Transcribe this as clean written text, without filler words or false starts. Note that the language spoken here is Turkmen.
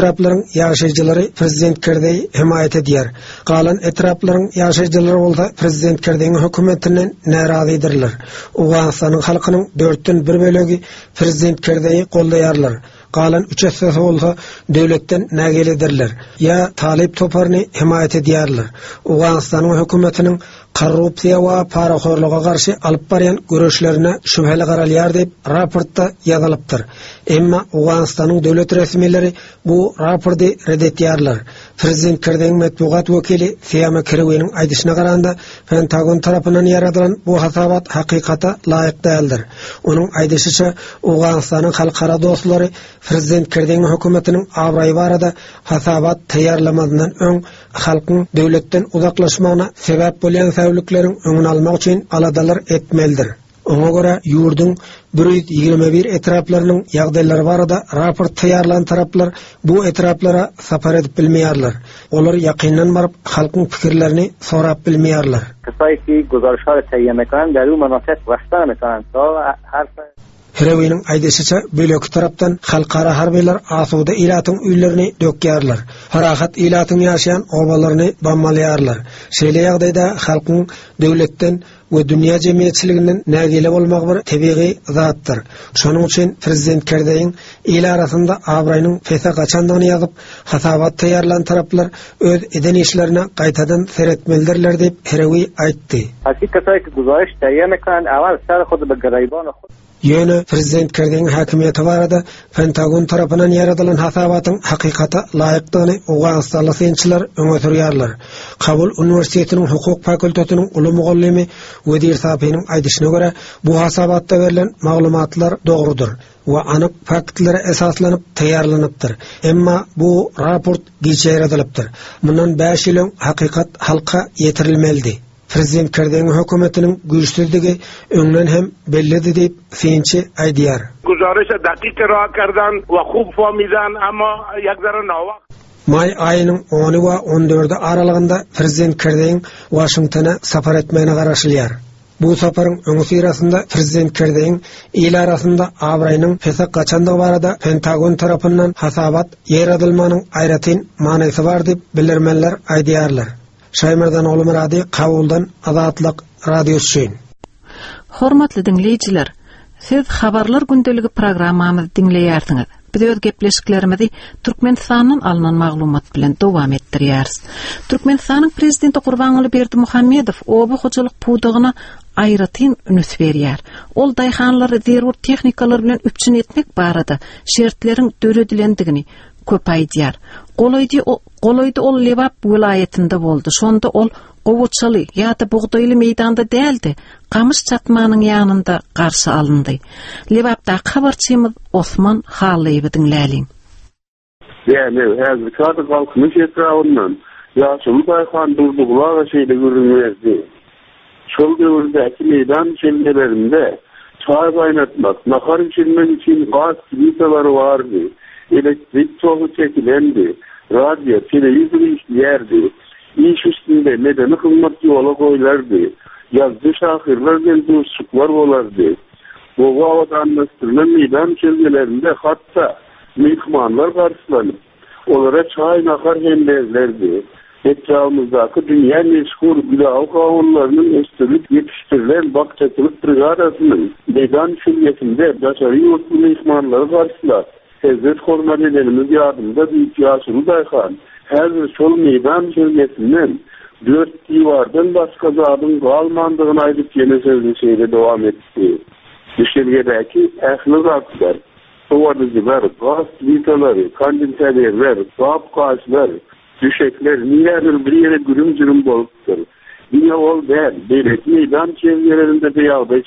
etraplaryň ýaşaýjylary prezident Kerzeýi hemaýat edýär. Galan etraplaryň ýaşaýjylary bolsa prezident Kerzeýiň hökümetinden närazydyrlar. Owganystanyň halkynyň dörtden bir bölegi prezident Kerzeýi goldaýarlar. Galan üç essesi bolsa döwletden nägiledirler ýa talyp toparyny hemaýat edýärler. Owganystanyň hökümetiniň korrupsiýa we parahorluga garşy alyp barýan göreşlerine şübheli garalýar diýip, raportda ýazylypdyr. Emma Owganystanyň döwlet resmileri bu rapordy ret etýärler. Prezident Kerzeýiň metbugat wekili Siýama Kerewiniň aýdyşyna garanda, Pentagon tarapyndan ýaradylan bu hasabat hakykata laýyk däldir. Onuň aýdyşyça, Owganystanyň halkara dostlary prezident Kerzeýiň hökümetiniň abraýy barada hasabat taýýarlamazyndan öň halkyň döwletden uzaklaşmagyna sebäp bolýan säwlikleriň öňüni almak üçin aladalar etmelidir. Oňa görä, ýurduň 121 etraplarynyň ýagdaýlary barada raport taýýarlan taraplar bu etraplara sapar edip bilmeýärler. Olar ýakyndan baryp, halkyň pikirlerini sorap bilmeýärler. Herewiniň aýdyşyça, beýleki tarapdan halkara harbylar asuda ilatyň öýlerini dökýärler, parahat ilatyň ýaşaýan obalaryny bombalaýarlar. Şeýle ýagdaýda halkyň döwletden we dünýä jemgyýetçiliginden nägile bolmagy bir tebigy zatdyr. Şonuň üçin prezident Kerzeýiň il arasynda abraýynyň pese gaçandygyny ýazyp, hasabat taýýarlan taraplar öz eden işlerine gaýtadan seretmelidirler diýip, Herewi aýtdy. Ýöne prezident Kerzeýiň häkimiýeti barada Pentagon tarapyndan ýaradylan hasabatyň hakykata laýykdygyny owganystanly synçylar öňe sürýärler. Kabul uniwersitetiniň hukuk fakultetiniň uly mugallymy Wezir Safiniň aýdyşyna görä, bu hasabatda berlen maglumatlar dogrudyr we anyk faktlara esaslanyp taýýarlanypdyr. Emma bu raport giç ýaýradylypdyr. Mundan bäş ýyl öň hakykat halka ýetirilmelidi. Prezident Kerzeýiň hökümetiniň güýçsüzdigi öňden hem bellidi diýip, synçy aýdýar. Guzariş dakyk ira kerdan we hub famidan amma ýek zere nawakt. Maý aýynyň ony we on dördi aralygynda prezident Kerzeýiň Waşingtona sapar etmegine garaşylýar. Bu saparyň öňüsyrasynda prezident Kerzeýiň il arasynda abraýynyň pese gaçandygy barada Pentagon tarapyndan hasabat ýaýradylmagynyň aýratyn manysy bar diýip, bilermenler aýdýarlar. Şaýmerdan Ogulmyrady Kabuldan Azatlyk Radiosy üçin. Hormatly diňleýjiler, siz Habarlar gündeligi programmamyzy diňleýärsiňiz. Biz öz gepleşiklerimizi Türkmenistandan alnan maglumat bilen dowam etdirýäris. Türkmenistanyň Prezidenti Gurbanguly Berdimuhamedow oba hojalyk pudagyna aýratyn üns berýär. Ol daýhanlary zerur tehnikalar bilen üpjün etmek barada şertleriň döredilendigini köp aýdýar. Golaýdy Golaýda ol Lebap welaýatynda boldy. Şonda ol gowaçaly ýa-da bugdaýly meýdanda däl-de, gamyş çatmanyň ýanynda garşy alyndy. Lebapdaky habarçymyz Osman Hallyýewi diňläliň. Dänew, häzirki ady Galkynyş etrabyndan ýaşuly daýhan Durdyguly aga şeýle gürrüň berdi. Şol döwürdäki meýdan düşelgelerinde çaý gaýnatmak, nahar bişirmek üçin gaz plitalary bardy, elektrik togy çekilendi, radio, telewizor işleýärdi. Iş üstünde medeni hyzmat ýola goýlardy, ýazyjy-şahyrlar bilen duşuşyklar bolardy. Gowy abadanlaşdyrylan meýdan düşelgelerinde hatda myhmanlar garşylanyp, Olara çaý-nahar hem berlerdi. Etrabymyzdaky dünýä meşhur gülaby gawunlarynyň ösdürilip ýetişdirilen bakjaçylyk brigadasynyň meýdan düşelgesinde daşary ýurtly myhmanlary garşylap, hezzet-hormat edenimiz ýadymda diýip, ýaşuly daýhan häzir şol meýdan düşelgesinden dört diwardan başga zadyň galmandygyny aýdyp ýene sözüni şeýle dowam etdi, Düşelgedäki ähli zatlar, Sowadyjylar, gaz plitalary, kondisionerler, gap-gaçlar, düşekler nirädir bir ýere gürüm-jürüm bolupdyr. Diňe ol däl, beýleki meýdan çelgelerinde-de ýagdaý.